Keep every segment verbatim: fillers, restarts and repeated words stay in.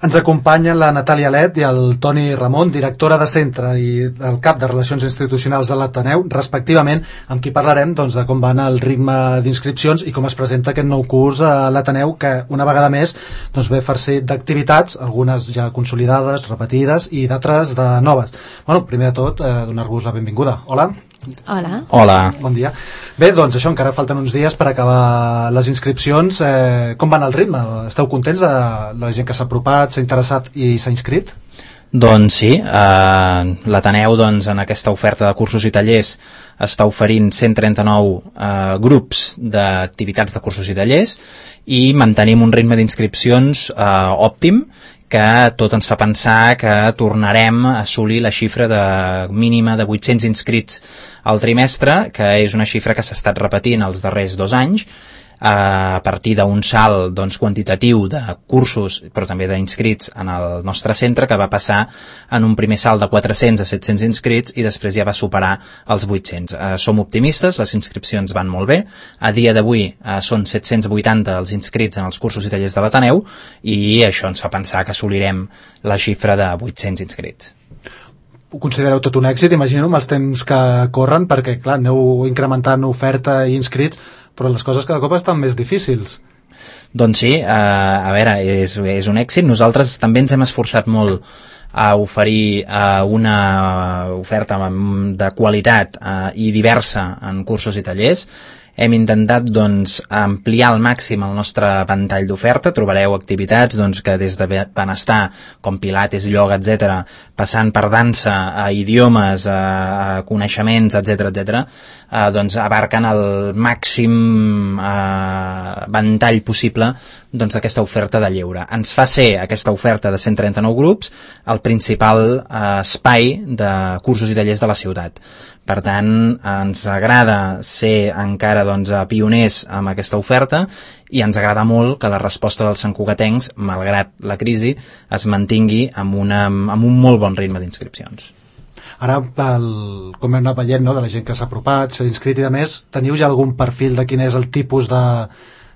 Ens acompanyen la Natàlia Let i el Toni Ramon, directora de centre i el cap de Relacions Institucionals de l'Ateneu, respectivament, amb qui parlarem doncs, de com van el ritme d'inscripcions i com es presenta aquest nou curs a l'Ateneu, que una vegada més doncs, ve farcit d'activitats, algunes ja consolidades, repetides i d'altres de noves. Bueno, primer de tot, eh, donar-vos la benvinguda. Hola. Hola. Hola. Bon dia. Bé, doncs això, encara falten uns dies per acabar les inscripcions. Eh, com van el ritme? Esteu contents de la gent que s'ha apropat, s'ha interessat i s'ha inscrit? Doncs sí, eh, l'Ateneu doncs, en aquesta oferta de cursos i tallers està oferint cent trenta-nou eh, grups d'activitats de cursos i tallers i mantenim un ritme d'inscripcions eh, òptim, que tot ens fa pensar que tornarem a assolir la xifra de mínima de vuit-cents inscrits al trimestre, que és una xifra que s'ha estat repetint els darrers dos anys, a partir d'un salt doncs, quantitatiu de cursos, però també d'inscrits en el nostre centre, que va passar en un primer salt de quatre-cents a set-cents inscrits i després ja va superar els vuit-cents. Eh, som optimistes, les inscripcions van molt bé. A dia d'avui eh, són set-cents vuitanta els inscrits en els cursos i tallers de l'Ateneu i això ens fa pensar que assolirem la xifra de vuit-cents inscrits. Ho considereu tot un èxit, imagino, amb els temps que corren, perquè, clar, aneu incrementant oferta i inscrits, però les coses cada cop estan més difícils. Doncs sí, eh, a veure, és, és un èxit. Nosaltres també ens hem esforçat molt a oferir eh, una oferta de qualitat eh, i diversa en cursos i tallers. Hem intentat doncs, ampliar al màxim el nostre ventall d'oferta. Trobareu activitats doncs, que des de benestar, com pilates, ioga, etcètera, passant per dansa, a idiomes, a, a coneixements, etcètera, etcètera, eh, doncs abarquen el màxim eh, ventall possible doncs, d'aquesta oferta de lleure. Ens fa ser aquesta oferta de cent trenta-nou grups el principal eh, espai de cursos i tallers de la ciutat. Per tant, ens agrada ser encara doncs, pioners amb aquesta oferta i ens agrada molt que la resposta dels santcugatencs, malgrat la crisi, es mantingui amb, una, amb un molt bon ritme d'inscripcions. Ara, el, com hem anat veient, no, de la gent que s'ha apropat, s'ha inscrit i de més, teniu ja algun perfil de quin és el tipus de,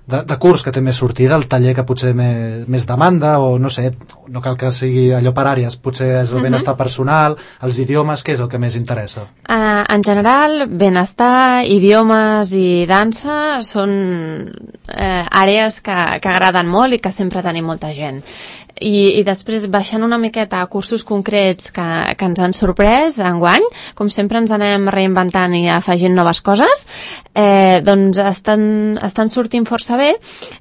de, de curs que té més sortida, el taller que potser més, més demanda, o no sé, no cal que sigui allò per àrees, potser és el benestar personal, els idiomes, què és el que més interessa? Uh, en general, benestar, idiomes i dansa són uh, àrees que, que agraden molt i que sempre tenim molta gent. I, i després baixant una miqueta a cursos concrets que, que ens han sorprès enguany, com sempre ens anem reinventant i afegint noves coses, eh, doncs estan, estan sortint força bé.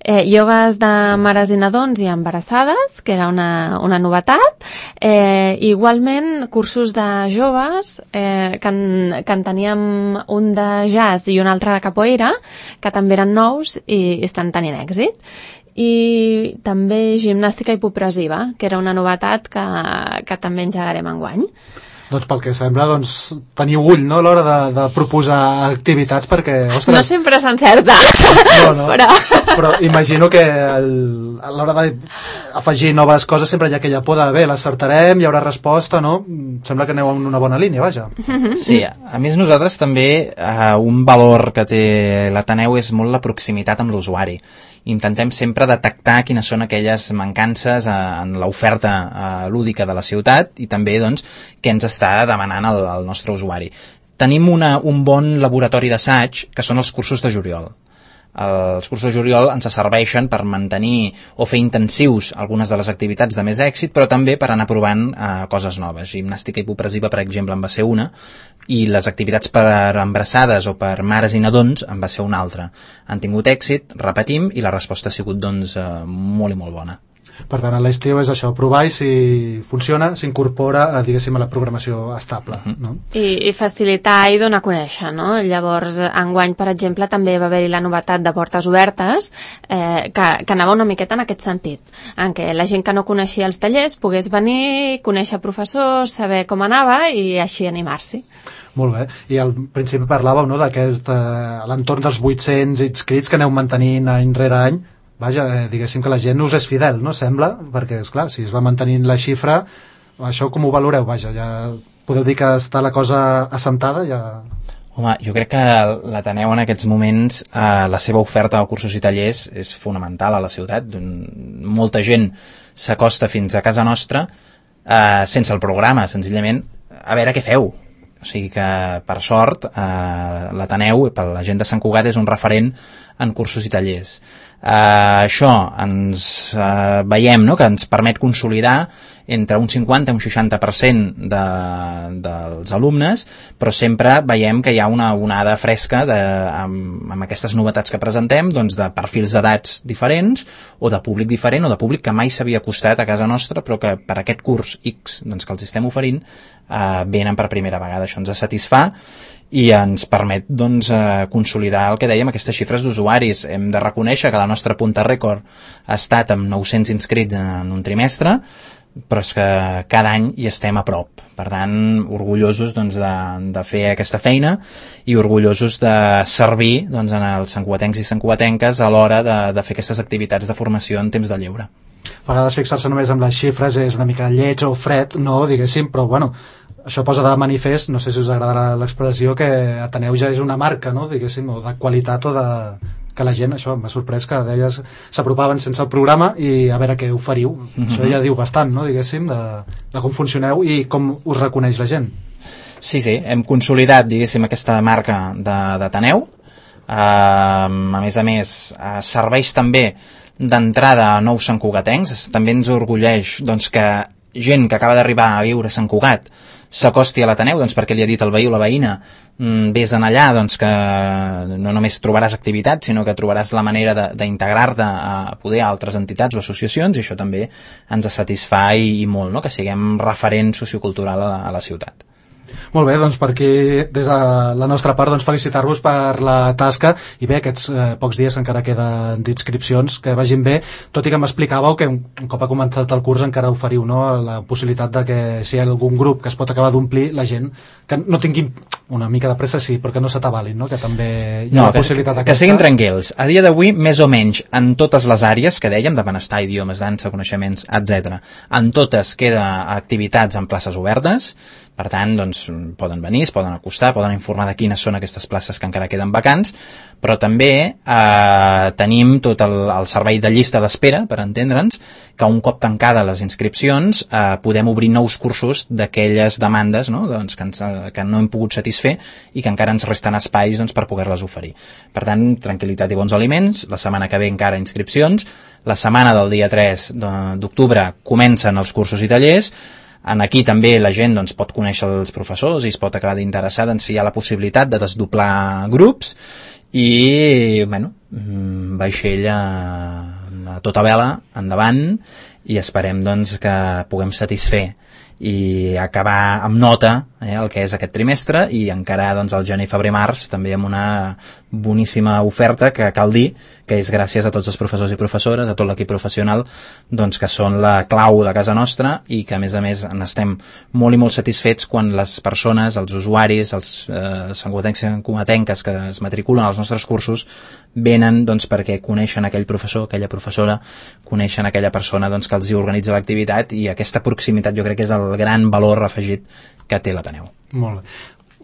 Eh, iogues de mares i nadons i embarassades, que era una, una novetat. Eh, igualment, cursos de joves, eh, que, en, que en teníem un de jazz i un altre de capoeira, que també eren nous i estan tenint èxit. I també gimnàstica hipopressiva, que era una novetat que, que també engegarem enguany. Doncs pel que sembla, doncs, teniu ull, no?, a l'hora de, de proposar activitats, perquè, ostres... No sempre s'encerta. No, no, però... però imagino que el, a l'hora d'afegir noves coses sempre hi ha aquella por de, bé, l'acertarem, hi haurà resposta, no? Sembla que aneu en una bona línia, vaja. Sí, a més nosaltres també eh, un valor que té l'Ateneu és molt la proximitat amb l'usuari. Intentem sempre detectar quines són aquelles mancances en l'oferta lúdica de la ciutat i també doncs, què ens està demanant el, el nostre usuari. Tenim una, un bon laboratori d'assaig que són els cursos de juliol. Els cursos de juliol ens serveixen per mantenir o fer intensius algunes de les activitats de més èxit, però també per anar provant eh, coses noves. Gimnàstica hipopressiva, per exemple, en va ser una, i les activitats per embarassades o per mares i nadons en va ser una altra. Han tingut èxit, repetim, i la resposta ha sigut doncs, eh, molt i molt bona. Per tant, a l'estiu és això, provar i si funciona, s'incorpora a, diguéssim, a la programació estable. Uh-huh. No? I, I facilitar i donar a conèixer, no? Llavors, enguany, per exemple, també va haver-hi la novetat de portes obertes, eh, que, que anava una miqueta en aquest sentit, en què la gent que no coneixia els tallers pogués venir, conèixer professors, saber com anava i així animar-s'hi. Molt bé. I al principi parlàveu, no, d'aquest, eh, a l'entorn dels vuit-cents inscrits que aneu mantenint any rere any. Vaja, eh, diguéssim que la gent us és fidel, no? Sembla, perquè, esclar, si es va mantenint la xifra, això com ho valoreu? Vaja, ja podeu dir que està la cosa assentada? Ja... Home, jo crec que l'Ateneu en aquests moments, eh, la seva oferta de cursos i tallers és fonamental a la ciutat. Molta gent s'acosta fins a casa nostra eh, sense el programa, senzillament a veure què feu. O sigui que, per sort, eh, l'Ateneu, per la gent de Sant Cugat, és un referent en cursos i tallers. Eh, això ens eh, veiem, no?, que ens permet consolidar entre un cinquanta i un seixanta per cent de, dels alumnes, però sempre veiem que hi ha una onada fresca de, amb, amb aquestes novetats que presentem, doncs de perfils d'edats diferents o de públic diferent o de públic que mai s'havia acostat a casa nostra però que per aquest curs X doncs, que els estem oferint eh, venen per primera vegada. Això ens satisfà i ens permet doncs, eh, consolidar el que dèiem, aquestes xifres d'usuaris. Hem de reconèixer que la nostra punta rècord ha estat amb nou-cents inscrits en un trimestre, però és que cada any hi estem a prop. Per tant, orgullosos doncs, de, de fer aquesta feina i orgullosos de servir doncs, en els santcugatencs i santcugatenques a l'hora de, de fer aquestes activitats de formació en temps de lleure. A vegades fixar-se només amb les xifres és una mica lleig o fred, no, diguéssim, però bueno, això posa de manifest, no sé si us agradarà l'expressió, que Ateneu ja és una marca, no, diguéssim, o de qualitat o de... que la gent, això m'ha sorprès que deies s'apropaven sense el programa i a veure què oferiu. Mm-hmm. Això ja diu bastant, no, diguéssim, de, de com funcioneu i com us reconeix la gent. Sí, sí, hem consolidat, diguéssim, aquesta marca d'Ateneu. Uh, a més a més, uh, serveix també d'entrada a nous santcugatencs. També ens orgulleix doncs, que gent que acaba d'arribar a viure a Sant Cugat s'acosti a l'Ateneu, doncs perquè li ha dit el veí o la veïna, mm, vés en allà, doncs que no només trobaràs activitats, sinó que trobaràs la manera d'integrar-te a poder a altres entitats o associacions, i això també ens satisfà i, i molt, no?, que siguem referent sociocultural a la, a la ciutat. Molt bé, doncs per aquí, des de la nostra part, doncs felicitar-vos per la tasca i bé, aquests eh, pocs dies encara queden d'inscripcions, que vagin bé, tot i que m'explicàveu que un, un cop ha començat el curs encara oferiu, no?, la possibilitat de que si hi ha algun grup que es pot acabar d'omplir, la gent que no tinguin una mica de pressa, sí, però que no s'atabalin, no?, que també hi ha no, la que, possibilitat que, aquesta. Que siguin tranquils. A dia d'avui, més o menys, en totes les àrees que dèiem, de benestar, idiomes, dansa, coneixements, etcètera, en totes queda activitats en places obertes. Per tant, doncs, poden venir, es poden acostar, poden informar de quines són aquestes places que encara queden vacants, però també eh, tenim tot el, el servei de llista d'espera, per entendre'ns, que un cop tancades les inscripcions eh, podem obrir nous cursos d'aquelles demandes, no?, doncs, que, ens, que no hem pogut satisfer i que encara ens resten espais doncs, per poder-les oferir. Per tant, tranquil·litat i bons aliments. La setmana que ve encara inscripcions. La setmana del dia tres d'octubre comencen els cursos i tallers. En aquí també la gent doncs, pot conèixer els professors i es pot acabar d'interessar doncs, si hi ha la possibilitat de desdoblar grups i, bueno, vaixell a, a tota vela, endavant, i esperem doncs, que puguem satisfer i acabar amb nota eh, el que és aquest trimestre i encarar doncs, el gener, febrer, març també amb una boníssima oferta que cal dir que és gràcies a tots els professors i professores, a tot l'equip professional doncs, que són la clau de casa nostra i que a més a més n'estem molt i molt satisfets quan les persones, els usuaris, els eh, santcugatencs i santcugatenques que es matriculen als nostres cursos venen doncs, perquè coneixen aquell professor, aquella professora, coneixen aquella persona doncs, que els hi organitza l'activitat i aquesta proximitat jo crec que és el gran valor afegit que té l'Ateneu. Molt bé.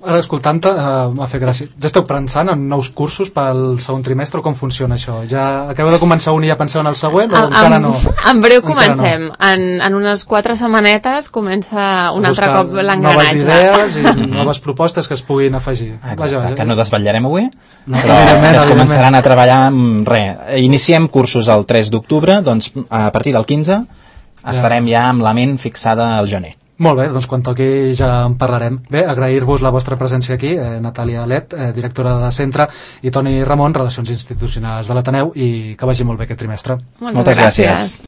Ara, escoltant-te, uh, m'ha fet gràcia. Ja esteu pensant en nous cursos pel segon trimestre o com funciona això? Ja acabeu de començar un i ja penseu en el següent o a, encara en, no? En breu comencem. No? En, en unes quatre setmanetes comença un altre cop l'engranatge. Noves idees i noves propostes que es puguin afegir. Exacte, vaja, vaja. Que no desvetllarem avui, no, però que es començaran a treballar amb res. Iniciem cursos el tres d'octubre, doncs a partir del quinze estarem ja amb la ment fixada al gener. Molt bé, doncs quan toqui ja en parlarem. Bé, agrair-vos la vostra presència aquí, eh, Natàlia Alet, eh, directora de centre, i Toni Ramon, Relacions Institucionals de l'Ateneu, i que vagi molt bé aquest trimestre. Moltes, Moltes gràcies. gràcies.